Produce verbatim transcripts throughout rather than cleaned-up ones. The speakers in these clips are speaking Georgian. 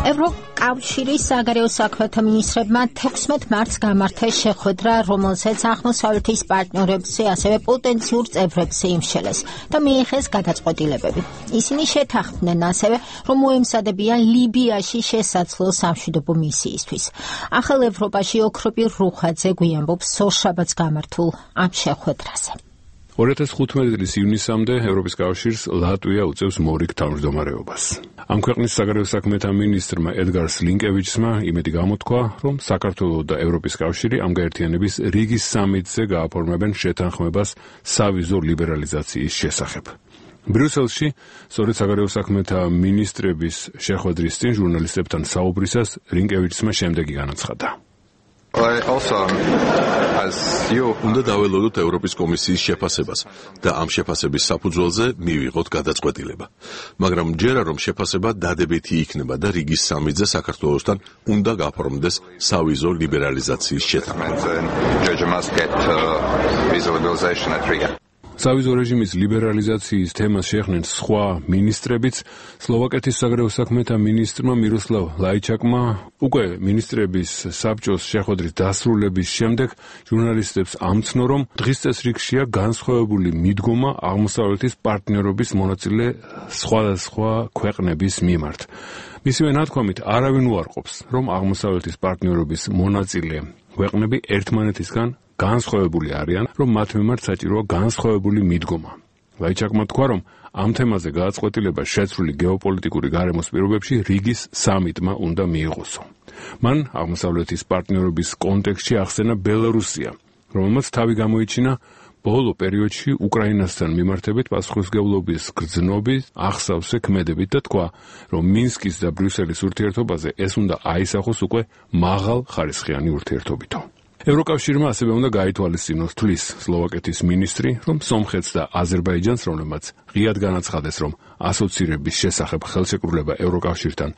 ევროკავშირის საგარეო საქმეთა მინისტრებმა თექვსმეტ მარტს გამართეს შეხვედრა, რომელზეც აღმოსავლეთის პარტნიორებზე, ასევე პოტენციურ წევრებზე იმსჯელეს და მიიღეს გადაწყვეტილებები. ისინი შეთანხმდნენ ასევე, რომ მოემზადებიან ლიბიაში შესაძლო სამშვიდობო მისიისთვის. ახალ ევროპაში ოქროპირ რუხაძე გვიანბობს სოშაბათს გამართულ ამ შეხვედრაზე. ორი ათას ხუთმეტი წლის ივნისამდე ევროპის კავშირს ლატვია უწევს მორიგ თავმჯდომარეობას. ამ ქვეყნის საგარეო საქმეთა მინისტრმა ედგარ სლინკევიჩსმა იმედი გამოთქვა, რომ საქართველო და ევროპის კავშირი ამ გაერთიანების რიგის სამიტზე გააფორმებენ შეთანხმებას სავიზო ლიბერალიზაციის შესახებ. ბრიუსელში სწორედ საგარეო საქმეთა მინისტრების შეხვედრის წინ ჟურნალისტებთან საუბრისას რინკევიჩსმა შემდეგი განაცხადა. უნდა დაველოდოთ ევროპის კომისიის შეფასებას და ამ შეფასების საფუძველზე მივიღოთ გადაწყვეტილება. მაგრამ ჯერა რომ შეფასება დადებითი იქნება და რიგის სამიტზე საქართველოსთან უნდა გაფორმდეს სავიზო ლიბერალიზაციის შეთანხმება. სავიზო რეჟიმის ლიბერალიზაციის თემას შეეხნენ სხვა მინისტრებიც. სლოვაკეთის საგარეო საქმეთა მინისტრმა მიროსლავ ლაიჩაკმა უკვე მინისტრების საბჭოს შეხვედრის დასრულების შემდეგ ჟურნალისტებს ამცნო, რომ დღის წესრიგშია განსხვავებული მიდგომა აღმოსავლეთის პარტნიორობის მონაწილე სხვადასხვა ქვეყნების მიმართ. მისივე ნათქვამით არავინ უარყოფს, რომ აღმოსავლეთის პარტნიორობის მონაწილე ქვეყნები ერთმანეთისგან განსხვავებული არიან, რომ მათ მიმართ საჭიროა განსხვავებული მიდგომა. ლაიჩაკმა თქვა, რომ ამ თემაზე გადაწყვეტილება შეცვლილი გეოპოლიტიკური გარემოს პირობებში რიგის სამიტმა უნდა მიიღოსო. მან აღმოსავლეთის პარტნიორობის კონტექსტში ახსენა ბელარუსია, რომელმაც თავი გამოიჩინა ბოლო პერიოდში უკრაინასთან მიმართებით პასუხისმგებლობის გრძნობის აღსავსე ქმედებით და თქვა, რომ მინსკის და ბრიუსელის ურთიერთობაზე ეს უნდა აისახოს უკვე მაღალ ხარისხიანი ურთიერთობითო. ევროკავშირმა ასევე უნდა გაითვალისწინოს თვლის სლოვაკეთის მინისტრი, რომ სომხეთს და აზერბაიჯანს, რომლებმაც ღიად განაცხადეს, რომ ასოცირების შესახებ ხელშეკრულება ევროკავშირთან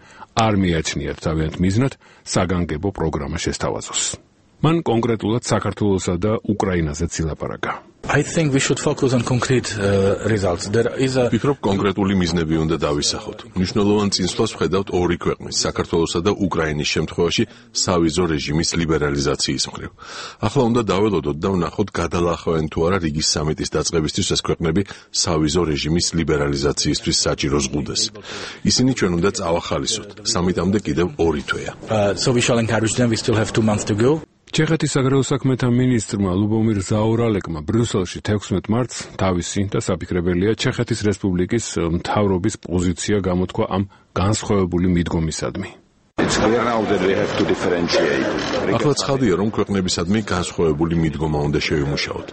არ მიაჩნიათ თავიანთ მიზნად, საგანგებო პროგრამა შესთავაზოს. მან კონკრეტულად საქართველოსა და უკრაინაზეც ილაპარაკა. I think we should focus on concrete uh, results. There is a ვფიქრობ კონკრეტული მიზნები უნდა დავისახოთ. მნიშვნელოვან წინსვლას ვხედავთ ორი ქვეყნის, საქართველოსა და უკრაინის შემთხვევაში სავიზო რეჟიმის ლიბერალიზაციის მხრივ. ახლა უნდა დაველოდოთ და ვნახოთ გადალახავენ თუ არა რიგის სამიტის დაწყებისთვის ეს ქვეყნები სავიზო რეჟიმის ლიბერალიზაციისთვის საჭირო ზღუდეს. ისინი ჩვენ უნდა წავახალისოთ. სამიტამდე კიდევ ორი თვეა. uh, so we shall encourage them. We still have two months to go. ჩეხეთის საგარეო საქმეთა მინისტრმა ლუბომირ ზაორალეკმა ბრიუსელში თექვსმეტ მარტს თავისი და საფიქრებელია ჩეხეთის რესპუბლიკის მთავრობის პოზიცია გამოთქვა ამ განსხვავებული მიდგომისადმი. ახლა ცხადია, რომ ქვეყნებისადმი განსხვავებული მიდგომა უნდა შევიმუშაოთ.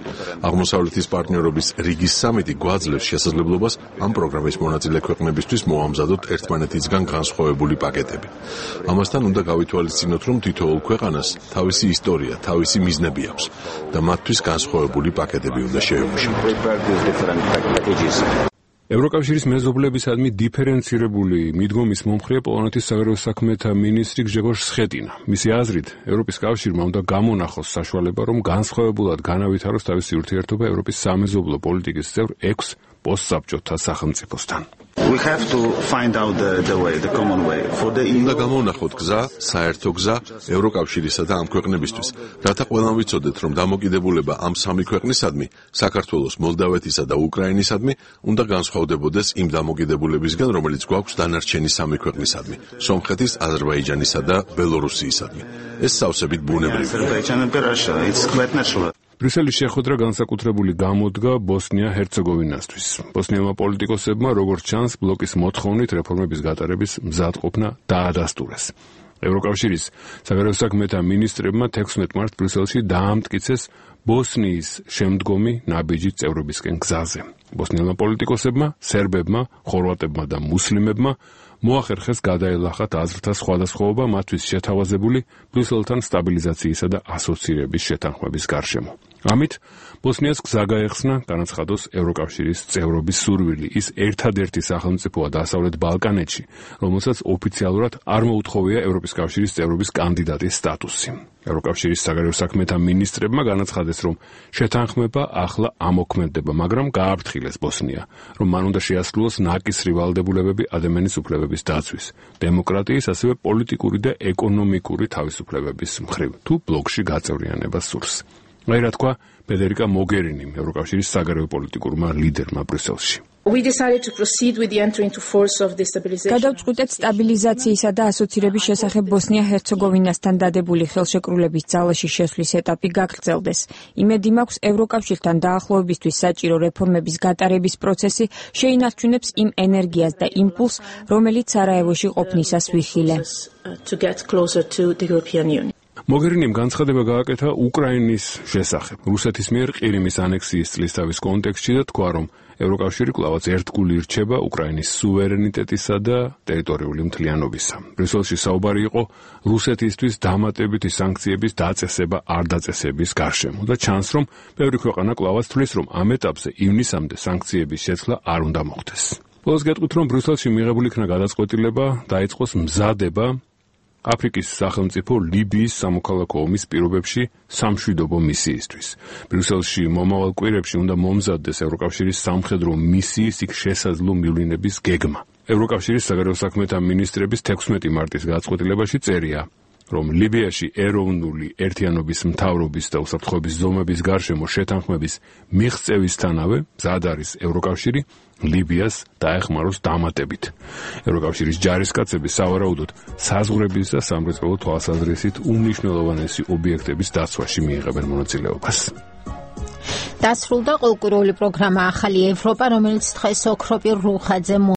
აღმოსავლეთის პარტნიორობის რიგის სამიტი გვაძლევს შესაძლებლობას ამ პროგრამის მონაწილე ქვეყნებისთვის მოამზადოთ ერთმანეთისგან განსხვავებული პაკეტები. ამასთან უნდა გავითვალისწინოთ, რომ თითოეულ ქვეყანას თავისი ისტორია, თავისი მიზნები აქვს და მათთვის განსხვავებული პაკეტები უნდა შევიმუშაოთ. ევროკავშირის მეზობლებისადმი დიფერენცირებული მიდგომის მომხრეა პოლონეთის საგარეო საქმეთა მინისტრი გჟეგორ სხეტინა. მისი აზრით, ევროპის კავშირმა უნდა გამონახოს საშუალება, რომ განსხვავებულად განავითაროს თავისი ურთიერთობა ევროპის სამეზობლო პოლიტიკის წევრ ექვს პოსტსაბჭოთა სახელმწიფოსთან. We have to find out the, the way, the common way. For the უნდა გამოვნახოთ გზა, საერთო გზა ევროკავშირისა და ამ ქვეყნებისთვის, რათა ყველამ ვიცოდეთ, რომ დამოკიდებულება ამ სამი ქვეყნისადმი, საქართველოს, მოლდავეთისა და უკრაინისადმი, უნდა განსხვავდებოდეს იმ დამოკიდებულებისგან, რომელიც გვაქვს დანარჩენი სამი ქვეყნისადმი, სომხეთის, აზერბაიჯანისა და ბელორუსიისადმი. ეს სავსებით ბუნებრივია. ბრიუსელის შეხვედრა განსაკუთრებული გამოდგა ბოსნია-ჰერცეგოვინასთვის. ბოსნიელმა პოლიტიკოსებმა, როგორც ჩანს, ბლოკის მოთხოვნით რეფორმების გატარების მზადყოფნა დაადასტურეს. ევროკავშირის საგარეო საქმეთა მინისტრებმა თექვსმეტ მარტს ბრიუსელში დაამტკიცეს ბოსნიის შემდგომი ნაბიჯი წევრობისკენ გზაზე. ბოსნიელმა პოლიტიკოსებმა, სერბებმა, ხორვატებმა და მუსლიმებმა მოახერხეს გადაელახათ აზრთა სხვადასხვაობა მათთვის შეთავაზებული ბრიუსელთან სტაბილიზაციისა და ასოცირების შეთანხმების გარშემო. ამით ბოსნიას გზა გაეხსნა განაცხადოს ევროკავშირის წევრობის სურვილი. ის ერთადერთი სახელმწიფოა დასავლეთ ბალკანეთში, რომელსაც ოფიციალურად არ მოუთხოვია ევროპის კავშირის წევრობის კანდიდატის სტატუსი. ევროკავშირის საგარეო საქმეთა მინისტრებმა განაცხადეს, რომ შეთანხმება ახლა ამოქმედება, მაგრამ გააფრთხილეს განახილეს ბოსნია, რომ მან უნდა შეასრულოს ნაკისრი ვალდებულებები ადამიანის უფლებების დაცვის, დემოკრატიის, ასევე პოლიტიკური და ეკონომიკური თავისუფლებების მხრივ, თუ ბლოკში გაწევრიანებას სურს. აი რა თქვა ფედერიკა მოგერინიმ, ევროკავშირის საგარეო პოლიტიკურმა ლიდერმა ბრიუსელში. We decided to proceed with the entry into force of the stabilization. გადავწყვიტეთ სტაბილიზაციისა და ასოცირების შესახებ ბოსნია-ჰერცეგოვინასთან დადებული ხელშეკრულების ძალაში შესვლის ეტაპი გაგრძელდეს. იმედი მაქვს, ევროკავშირთან დაახლოებისთვის საჭირო რეფორმების გატარების პროცესი შეინარჩუნებს იმ ენერგიას და იმპულსს, რომელიც სარაევოში ყოფნისას ვიხილე. To get closer to the European Union. მოგერინიმ განცხადება გააკეთა უკრაინის შესახებ, რუსეთის მიერ ყირიმის ანექსიის წლისთავის კონტექსტში და თქვა, რომ ევროკავშირი კვლავაც ერთგული ირჩება უკრაინის სუვერენიტეტისა და ტერიტორიული მთლიანობისა. ბრიუსელში საუბარი იყო რუსეთისთვის დამატებითი სანქციების დაწესება არ დაწესების გარშემო და ჩანს, რომ ბევრი ქვეყანა კვლავაც თვლის, რომ ამ ეტაპზე ივნისამდე სანქციების შეცვლა არ უნდა მოხდეს. ბოლოს გეტყვით, რომ ბრიუსელში მიღებული იქნა გადაწყვეტილება დაიწყოს მზადება აფრიკის სახელმწიფო ლიბიის სამოქალაქო ომის პირობებში სამშვიდობო მისიისთვის. ბრიუსელში მომავალ კვირებში უნდა მომზადდეს ევროკავშირის სამხედრო მისიის იქ შესაძლო მივლინების გეგმა. ევროკავშირის საგარეო საქმეთა მინისტრების თექვსმეტი მარტის გადაწყვეტილებაში წერია, რომ ლიბიაში ეროვნული ერთიანობის მთავრობის და უსაფრთხოების ზომების გარშემო შეთანხმების მიღწევისთანავე მზად არის ევროკავშირი ლიბიას დაეხმაროს დამატებით. ევროკავშირის ჯარისკაცები სავარაუდოდ საზღვრების და სამრეწველო თვალსაზრისით უმნიშვნელოვანესი ობიექტების დაცვაში მიიღებენ მონაწილეობას. დასრულდა ყოლკურული პროგრამა ახალი ევროპა, რომელიც დღეს ოქროპირ რუხაძე